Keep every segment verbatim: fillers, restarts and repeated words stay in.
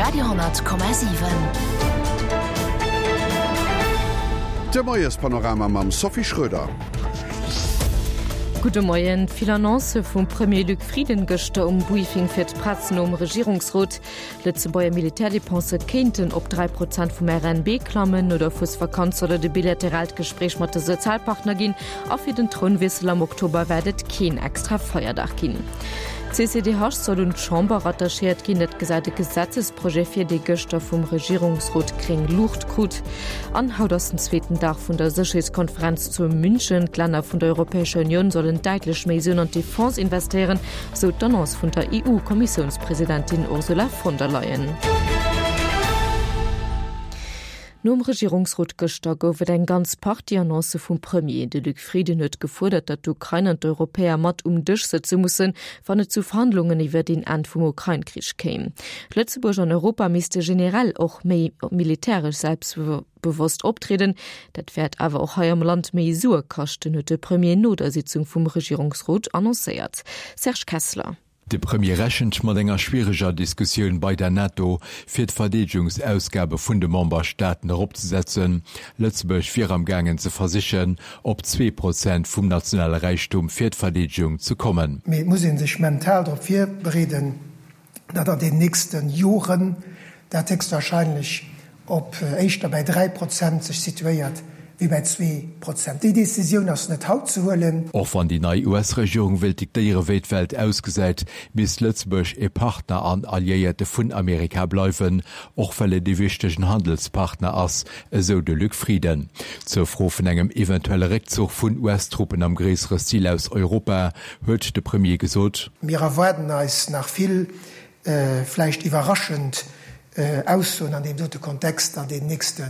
Radio honnert Komma siwen. De Moiespanorama mam Sophie Schröder. Gudde Moien. Vill Annoncë vum Premier Luc Frieden gëschter um Briefing fir d'Press nom Regierungsrot. Lëtzebuerger Militärdepensë kéinten op dräi Prozent vum R N B klammen. No der Fuesvakanz soll et e bilateraalt Gespréich mat de Sozialpartner ginn a fir den Trounwiessel am Oktober wäert et keen extra Feierdag ginn. D'C C D H soll un d'Chamber rattachéiert ginn. Dat gesäit e Gesetzesprojet vir, dee gëschter vum Regierungsrot gréng Luucht krut. An haut ass den zweeten Dag vun der Sécherheetskonferenz zu München. D'Länner vun der Europäescher Unioun sollen däitlech méi Suen an d'Defense investéieren, sou d'Annonce vun der E U-Kommissiounspresidentin Ursula von der Leyen. Nom Regierungsrot gëschter gouf et eng ganz Partie Annoncë vum Premier. De Luc Frieden huet gefuerdert, datt d'Ukrain an d'Europäer mat um Dësch sëtze mussen, wann et zu Verhandlungen iwwer den Enn vum Ukrain-Krich kéim. Lëtzebuerg an Europa misste generell och méi militäresch selbstbewosst optrieden. Dat wäert awer och hei am Land méi Sue kaschten, huet de Premier no der Sitzung vum Regierungsrot annoncéiert. Serge Kessler. De Premier rechent mat enger schwiereger Diskussioun bei der NATO, fir d'Verdeedegungsausgabe vun de Memberstaaten eropzesetzen. Lëtzebuerg wier am gaangen ze versichen, op zwee Prozent vum nationale Räichtum fir d'Verdeedegung ze kommen. Mee et muss ee sech mental drop virbereeden, datt an den nächste Joren dat héchstwahrscheinlech op éischter bäi dräi Prozent sech situéiert wéi bäi zwee Prozent. Déi Decisioun ass net haut ze huelen. Och wann déi nei U S-Regierung wéilt diktéiere wéi d'Welt ausgesäit, misst Lëtzebuerg e Partner an Alliéierte vun Amerika bleiwen, och well et e wichtegen Handelspartner ass, esou de Luc Frieden. Zur Fro vun engem eventuelle Réckzuch vun U S-Truppen am gréissere Stil aus Europa huet de Premier gesot. Mir erwaarden eis nach vill vläicht iwwerraschend Aussoen an deem dote Kontext an den nächste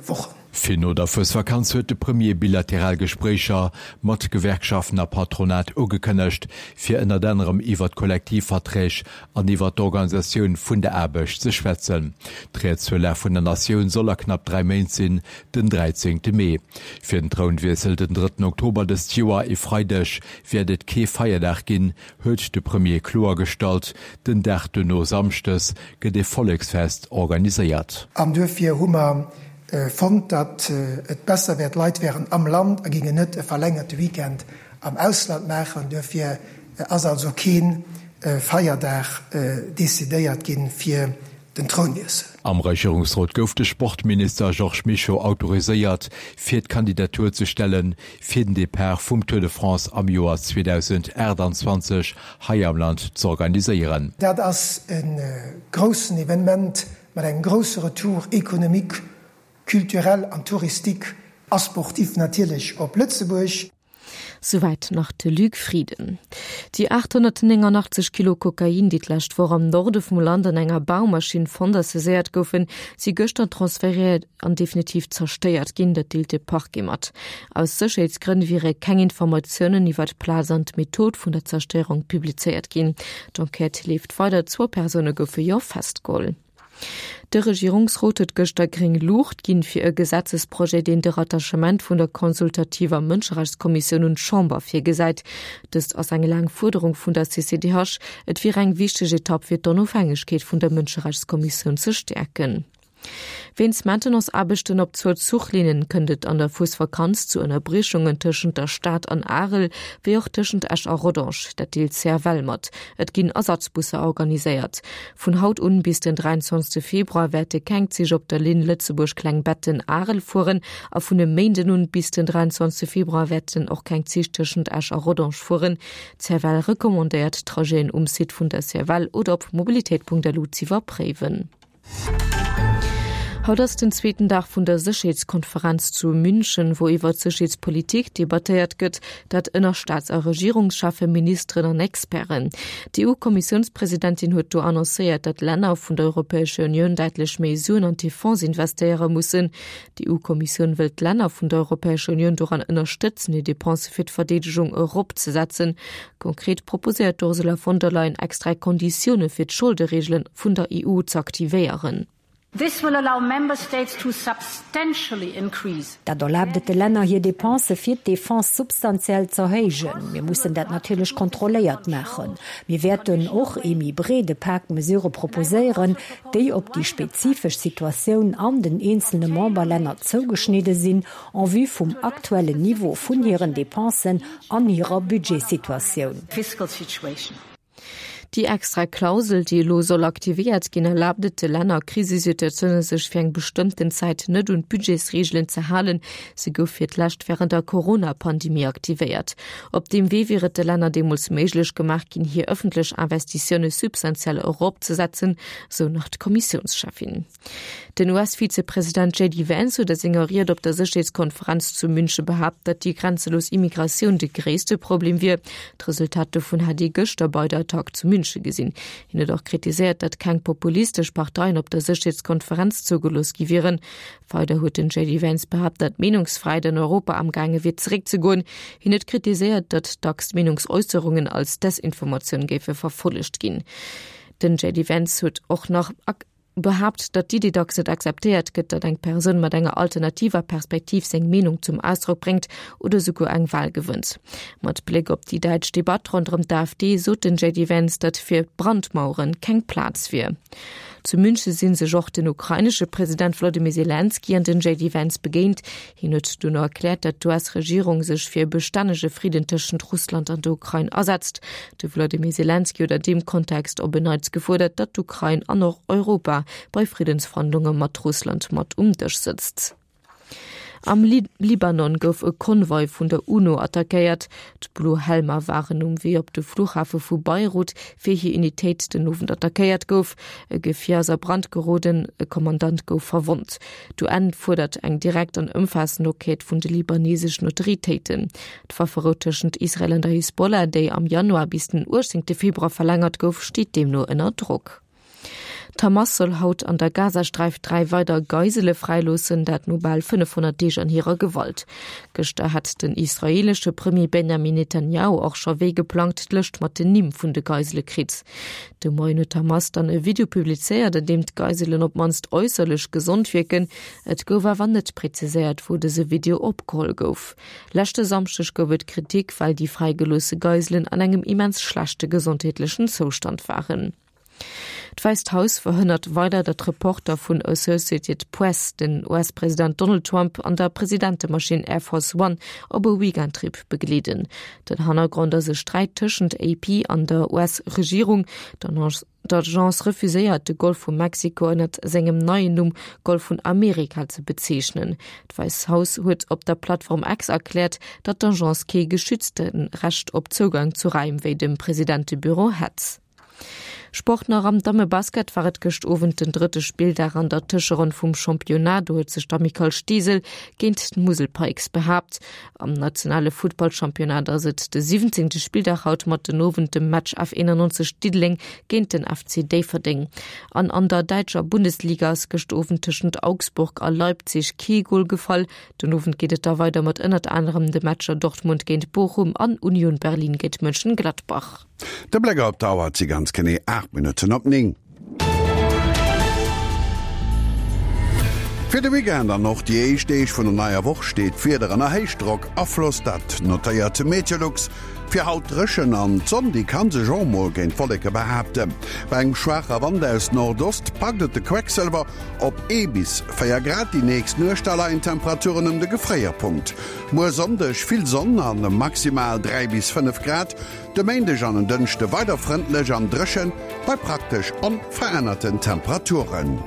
Wochen. Fir no der Fuesvakanz huet de Premier bilateral Gespréicher mat Gewerkschaften a Patronat ugekënnegt, fir ënnert anerem iwwer d'Kollektivverträg an iwwer d'Organisatioun vun der Aarbecht ze schwätzen. D'Ried zur Lag vun der Natioun soll a knapp dräi Méint sinn, den dräizéngte Mee. Fir den Trounwiessel den drëtten Oktober dëst Joer, e Freideg, wäert et kee Feierdag ginn, huet de Premier kloergestallt. Den Dag duerno, samschdes, gëtt e Volleksfest organiséiert. An duerfir hu mer fonnt, datt et besser wär, d'Leit wären am Land a gingen net e verlängerte Weekend am Ausland maachen. Duerfir ass also kee Feierdag decidéiert ginn fir den Trounwiessel. Am Regierungsrot gouf de Sportminister Georges Mischo autoriséiert, fir d'Kandidatur ze stellen, fir den Depart vum Tour de France am Joer zweedausendaachtanzwanzeg hei am Land z'organiséieren. Dat ass e groussen Evenement mat engem grousse Retour économique, culturel an touristique a sportif natierlech op Lëtzebuerg. Souwäit nach de Luc Frieden. Déi aathonnertnénganachtzesch Kilo Kokain, déi d'lescht Woch am Norde vum Land an enger Baumaschinn fonnt a saiséiert goufen, si gëschter transferéiert an definitiv zerstéiert ginn, dat deelt de Parquet mat. Aus Sécherheetsgrënn wiere keng Informatiounen iwwer d'Plaz an d'Method vun der Zerstéierung publizéiert ginn. D'Enquête leeft weider, zwou Persoune goufe jo festgeholl. De Regierungsrot huet gëschter gréng Luucht ginn fir e Gesetzesprojet, deen de Rattachement vun der consultativer Mënscherechtskommissioun un d'Chamber virgesäit. Dëst ass eng laang Fuerderung vun der C C D H. Et wier eng wichteg Etapp fir d'Onofhängegkeet vun der Mënscherechtskommissioun ze stäerken. Wéinst Maintenance-Aarbechten op zwou Zuchlinnen kënnt et an der Fuesvakanz zu Ënnerbriechungen tëschent der Stad an Arel, wéi och tëschent Esch a Rodange, dat deelt d'C F L mat. Et ginn Ersatzbusser organiséiert. Vun haut un bis den dräianzwanzegste Februar wäerte keng Zich op der Linn Lëtzebuerg-Klengbetten-Arel fueren a vun e Méinden un bis den dräianzwanzegste Februar wäerten och keng Zich tëschent Esch a Rodange fueren. D'C F L recommandéiert d'Trajeten um Site vun der C F L oder op mobilitéit Punkt L U z'iwwerpréiwen. Haut ass den zweeten Dag vun der Sécherheetskonferenz zu München, wou iwwer d'Sécherheetspolitik debattéiert gëtt, dat ënner Staats a Regierungscheffen, Ministeren an Experten. D'E U-Kommissiounspresidentin huet do annoncéiert, datt d'Länner vun der Europäescher Unioun däitlech méi Suen an d'Defense investéiere mussen. D'E U-Kommissioun wëll d'Länner vun der Europäescher Unioun doran ënnerstëtzen, hir Depensë fir d'Verdeedegung eropzesetzen. Konkret proposéiert d'Ursula von der Leyen extra Konditioune fir d'Scholdereegele vun der E U z'aktivéieren. This will allow member states to substantially increase. Dat erlaabt et de Länner, hir Depensë fir d'Defense substantiell z'erhéijen. Mir mussen dat natierlech kontrolléiert maachen. Mir wäerten och ee méi breede Pak Mesurë proposéieren, déi op déi spezifesch Situatioun an den eenzelne Memberlänner zougeschnidde sinn, en vue vum aktuellen Niveau vun hiren Depensen an hirer Budgetsituatioun. Fiscal situation. Déi extra Klausel, déi elo soll aktivéiert ginn, erlaabt et de Länner a Krisesituatioune sech fir eng bestëmmten Zäit net un d'Budgetsreegelen ze halen. Se gouf fir d'lescht wärend der Corona-Pandemie aktivéiert. Op deem Wee wier et de Länner deemools méiglech gemaach ginn, hir ëffentlech Investitioune substantiell eropzesetzen, sou nach d'Kommissiounscheffin. Den U S-Vizepresident J D Vance huet a senger Ried op der Sécherheetskonferenz zu Münche behaapt, datt déi grenzelos Immigratioun de gréisste Problem wier. D'Resultat dovun hätt ee gëschter bei der Attack zu Münche gesinn. Hien huet och kritiséiert, datt keng populistesch Parteien op der Sécherheetskonferenz zougelooss gi wieren. Weider huet den J D Vance behaapt, datt d'Meenungsfräiheet an Europa amgaange wier zeréckzegoen. Hien huet kritiséiert, datt dacks Meenungsäusserungen als Desinformatioun géife verfollegt ginn. Den J D Vance huet och nach behaapt, datt d'Iddi dacks net akzeptéiert gëtt, datt eng Persoun mat enger alternativer Perspektiv seng Meenung zum Ausdrock bréngt oder souguer eng Wal gewënnt. Mat Bléck op déi däitsch Debatt ronderëm d'AfD sot den J D Vance, datt fir Brandmauere keng Plaz wier. Zu Münche si sech och den ukrainesche President Wolodymyr Selenskyj an den J D Vance begéint. Hien huet duerno erkläert, datt d'U S-Regierung sech fir e bestännege Fridden tëschent Russland an der Ukrain asetzt. De Wolodymyr Selenskyj huet an deem Kontext op en Neits gefuerdert, datt d'Ukrain an och Europa bei Friddensverhandlunge mat Russland mat um Dësch sëtzt. Am Libanon gouf e Konvoi vun der UNO attackéiert. D'Blo Helmer waren um Wee op de Fluchhafe vu Beirut, wéi hir Unitéit den Owend attackéiert gouf. E Gefier ass a Brand geroden, e Kommandant gouf verwonnt. D'U N fuerdert eng direkt an ëmfaassend Enquête vun de libaneseschen Autoritéiten. D'Wafferou tëschent Israel an der Hisbollah, déi am Januar bis den uechtzéngte Februar verlängert gouf, steet deemno ënner Drock. D'Hamas soll haut an der Gazasträif dräi weider Geisele fräiloossen, dat no bal fënnefhonnert Deeg an hirer Gewalt. Gëschter hat den israeelesche Premier Benjamin Netanjahu och scho wéi geplangt d'Lëscht mat den Nimm vun de Geisele kritt. De Moien huet d'Hamas dann e Video publizéiert, an deem d'Geiselen op d'mannst äusserlech gesond wierken. Et gouf awer net präziséiert, wou dëse Video opgeholl gouf. Leschte Samschdeg gouf et Kritik, well déi fräigeloosse Geiselen an engem immens schlechte gesondheetlechen Zoustand waren. D'Wäisst Haus verhënnert weider, datt Reporter vun Associated Press den U S-President Donald Trump an der Presidentemaschinn Air Force One op e Weekendtrip begleeden. Den Hannergrond ass e Sträit tëschent A P an der U S-Regierung. D'Agence refuséiert, de Golf vu Mexiko ënnert sengem neien Numm Golf vun Amerika ze bezeechnen. D'Wäisst Haus huet op der Plattform X erkläert, datt d'Agence kee geschützte Recht op Zougang zu Raim wéi dem Presidentebüro hätt. Sport nach. Am Dammebasket war et gëscht Owend den drëtte Spilldag an der Tëscheronn vum Championnat. Do huet sech d'Amicale Steesel géint d'Musel Pikes behaapt. Am nationale Futtballchampionnat ass et de siwwenzéngte Spilldag haut mat den Owend dem Match F éonenannzeg Diddeleng géint den F C Déifferdeng. An an der däitscher Bundesliga ass gëscht Owend tëschent Augsburg a Leipzig kee Gol gefall. Den Owend geet et da weider mat ënnert anerem de Matcher Dortmund géint Bochum an Union Berlin géint Mönchengladbach. De Bléck op d'Auer, et si ganz genee aacht Minutten op néng. Fir de Weekend an och déi éischt Deeg vun der neier Woch steet d'Wieder ënner Héichdrockafloss, dat notéiert Meteolux. Fir haut dréchen an d'Sonn déi kann sech och mol géint d'Wolleke behaapten. Bei engem schwaache Wand aus Nordost packt et de Quecksëlwer op ee bis véier Grad. Déi nächst Nuecht da leien d'Temperaturen ëm de Gefréierpunkt. Muer Sonndeg vill Sonn an maximal dräi bis fënnef Grad. De Méindeg an en Dënschde weider frëndlech an dréchen bei praktesch onverännerten Temperaturen.